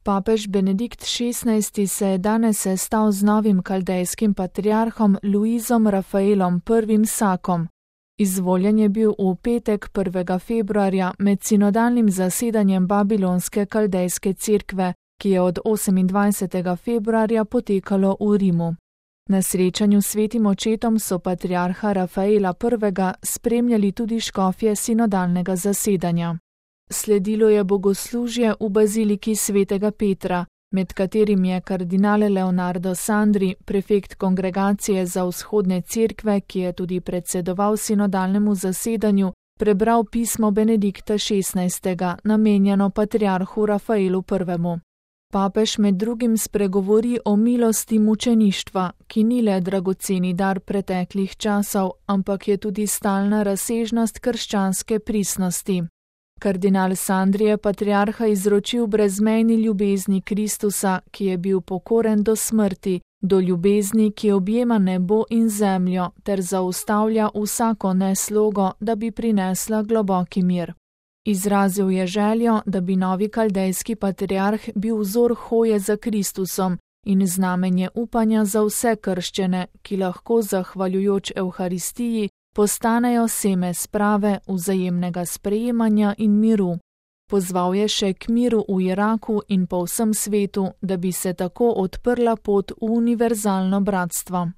Papež Benedikt XVI se je danes sestal z novim kaldejskim patriarhom Luizom Rafaelom I. Sakom. Izvoljen je bil v petek 1. februarja med sinodalnim zasedanjem Babilonske kaldejske cerkve, ki je od 28. februarja potekalo v Rimu. Na srečanju s svetim očetom so patriarha Rafaela I. spremljali tudi škofje sinodalnega zasedanja. Sledilo je bogoslužje v baziliki svetega Petra, med katerim je kardinal Leonardo Sandri, prefekt kongregacije za vzhodne cerkve, ki je tudi predsedoval sinodalnemu zasedanju, prebral pismo Benedikta XVI. Namenjeno patriarhu Rafaelu I. Papež med drugim spregovori o milosti mučeništva, ki ni le dragoceni dar preteklih časov, ampak je tudi stalna razsežnost krščanske pristnosti. Kardinal Sandri je patriarha izročil brezmejni ljubezni Kristusa, ki je bil pokoren do smrti, do ljubezni, ki objema nebo in zemljo ter zaustavlja vsako neslogo, da bi prinesla globoki mir. Izrazil je željo, da bi novi kaldejski patriarh bil vzor hoje za Kristusom in znamenje upanja za vse krščene, ki lahko zahvaljujoč Evharistiji postanejo seme sprave, vzajemnega sprejemanja in miru. Pozval je še k miru v Iraku in po vsem svetu, da bi se tako odprla pot v univerzalno bratstvo.